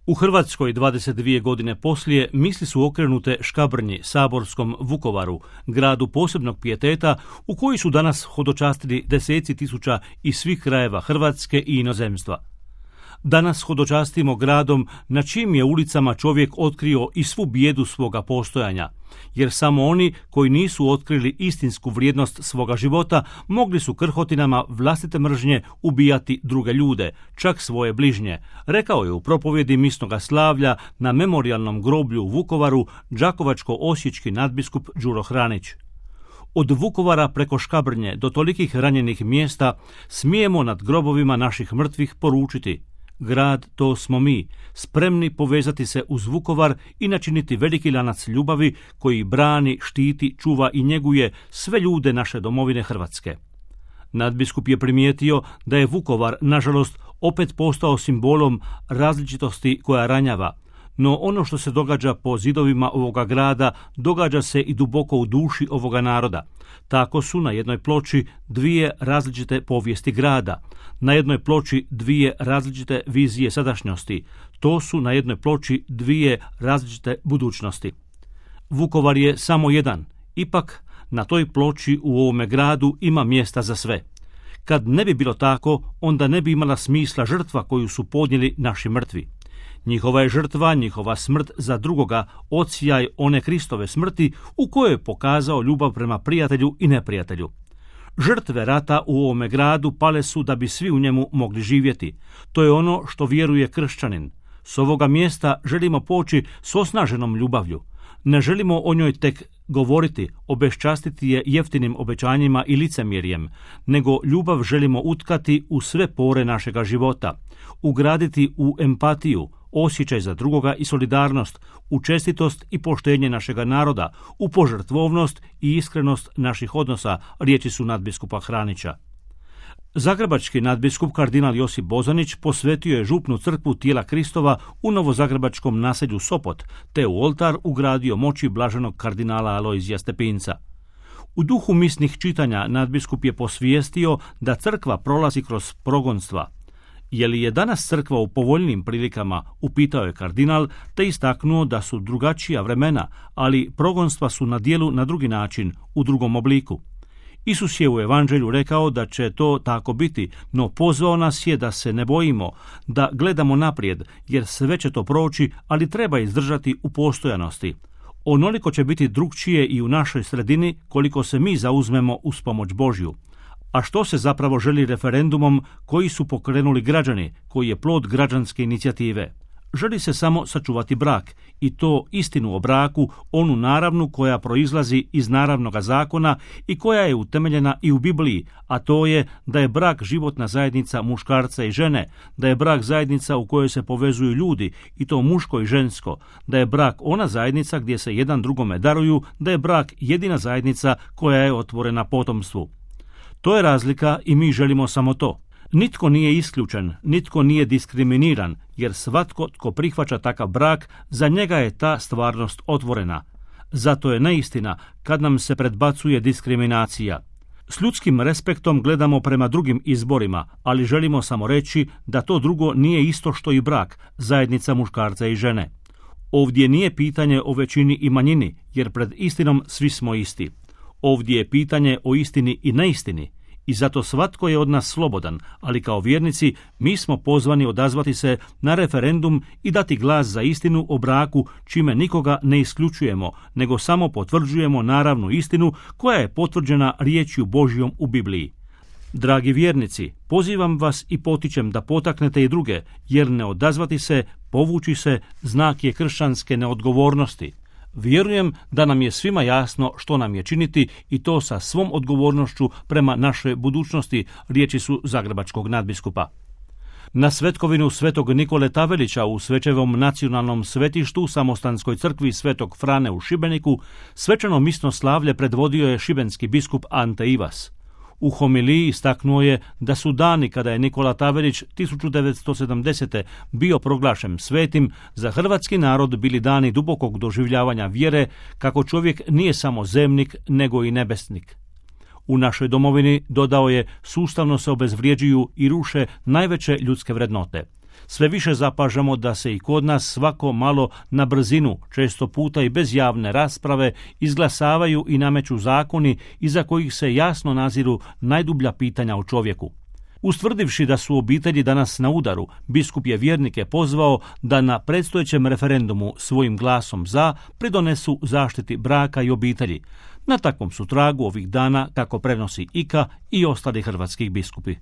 U Hrvatskoj 22 godine poslije misli su okrenute Škabrnji, saborskom Vukovaru, gradu posebnog pijeteta u koji su danas hodočastili deseci tisuća iz svih krajeva Hrvatske i inozemstva. Danas hodočastimo gradom na čijim je ulicama čovjek otkrio i svu bijedu svoga postojanja, jer samo oni koji nisu otkrili istinsku vrijednost svoga života mogli su krhotinama vlastite mržnje ubijati druge ljude, čak svoje bližnje, rekao je u propovjedi misnoga slavlja na memorijalnom groblju u Vukovaru đakovačko-osječki nadbiskup Đuro Hranić. Od Vukovara preko Škabrnje do tolikih ranjenih mjesta smijemo nad grobovima naših mrtvih poručiti: grad, to smo mi, spremni povezati se uz Vukovar i načiniti veliki lanac ljubavi koji brani, štiti, čuva i njeguje sve ljude naše domovine Hrvatske. Nadbiskup je primijetio da je Vukovar, nažalost, opet postao simbolom različitosti koja ranjava, no ono što se događa po zidovima ovoga grada događa se i duboko u duši ovoga naroda. Tako su na jednoj ploči dvije različite povijesti grada, na jednoj ploči dvije različite vizije sadašnjosti, to su na jednoj ploči dvije različite budućnosti. Vukovar je samo jedan, ipak na toj ploči u ovome gradu ima mjesta za sve. Kad ne bi bilo tako, onda ne bi imala smisla žrtva koju su podnijeli naši mrtvi. Njihova je žrtva, njihova smrt za drugoga, odsjaj one Kristove smrti u kojoj je pokazao ljubav prema prijatelju i neprijatelju. Žrtve rata u ovome gradu pale su da bi svi u njemu mogli živjeti. To je ono što vjeruje kršćanin. S ovoga mjesta želimo poći s osnaženom ljubavlju. Ne želimo o njoj tek govoriti, obeščastiti je jeftinim obećanjima i licemjerjem, nego ljubav želimo utkati u sve pore našega života, ugraditi u empatiju, osjećaj za drugoga i solidarnost, u čestitost i poštenje našega naroda, u požrtvovnost i iskrenost naših odnosa, riječi su nadbiskupa Hranića. Zagrebački nadbiskup kardinal Josip Bozanić posvetio je župnu crkvu Tijela Kristova u novozagrebačkom naselju Sopot, te u oltar ugradio moći blaženog kardinala Alojzija Stepinca. U duhu misnih čitanja nadbiskup je posvijestio da crkva prolazi kroz progonstva. Je li je danas crkva u povoljnim prilikama, upitao je kardinal, te istaknuo da su drugačija vremena, ali progonstva su na djelu na drugi način, u drugom obliku. Isus je u evanđelju rekao da će to tako biti, no pozvao nas je da se ne bojimo, da gledamo naprijed, jer sve će to proći, ali treba izdržati u postojanosti. Onoliko će biti drugčije i u našoj sredini koliko se mi zauzmemo uz pomoć Božju. A što se zapravo želi referendumom koji su pokrenuli građani, koji je plod građanske inicijative? Želi se samo sačuvati brak, i to istinu o braku, onu naravnu koja proizlazi iz naravnoga zakona i koja je utemeljena i u Bibliji, a to je da je brak životna zajednica muškarca i žene, da je brak zajednica u kojoj se povezuju ljudi, i to muško i žensko, da je brak ona zajednica gdje se jedan drugome daruju, da je brak jedina zajednica koja je otvorena potomstvu. To je razlika i mi želimo samo to. Nitko nije isključen, nitko nije diskriminiran, jer svatko tko prihvaća takav brak, za njega je ta stvarnost otvorena. Zato je neistina kad nam se predbacuje diskriminacija. S ljudskim respektom gledamo prema drugim izborima, ali želimo samo reći da to drugo nije isto što i brak, zajednica muškarca i žene. Ovdje nije pitanje o većini i manjini, jer pred istinom svi smo isti. Ovdje je pitanje o istini i neistini. I zato svatko je od nas slobodan, ali kao vjernici mi smo pozvani odazvati se na referendum i dati glas za istinu o braku, čime nikoga ne isključujemo, nego samo potvrđujemo naravnu istinu koja je potvrđena riječju Božjom u Bibliji. Dragi vjernici, pozivam vas i potičem da potaknete i druge, jer ne odazvati se, povući se, znak je kršćanske neodgovornosti. Vjerujem da nam je svima jasno što nam je činiti, i to sa svom odgovornošću prema našoj budućnosti, riječi su zagrebačkog nadbiskupa. Na svetkovinu svetog Nikole Tavelića u Svečevom nacionalnom svetištu u Samostanskoj crkvi Svetog Frane u Šibeniku svečano misno slavlje predvodio je šibenski biskup Ante Ivas. U homiliji istaknuo je da su dani kada je Nikola Tavelić 1970. bio proglašen svetim za hrvatski narod bili dani dubokog doživljavanja vjere kako čovjek nije samo zemnik nego i nebesnik. U našoj domovini, dodao je, sustavno se obezvrjeđuju i ruše najveće ljudske vrednote. Sve više zapažamo da se i kod nas svako malo na brzinu, često puta i bez javne rasprave, izglasavaju i nameću zakoni iza kojih se jasno naziru najdublja pitanja o čovjeku. Ustvrdivši da su obitelji danas na udaru, biskup je vjernike pozvao da na predstojećem referendumu svojim glasom za pridonesu zaštiti braka i obitelji. Na takvom su tragu ovih dana, kako prenosi IKA i ostali hrvatskih biskupi.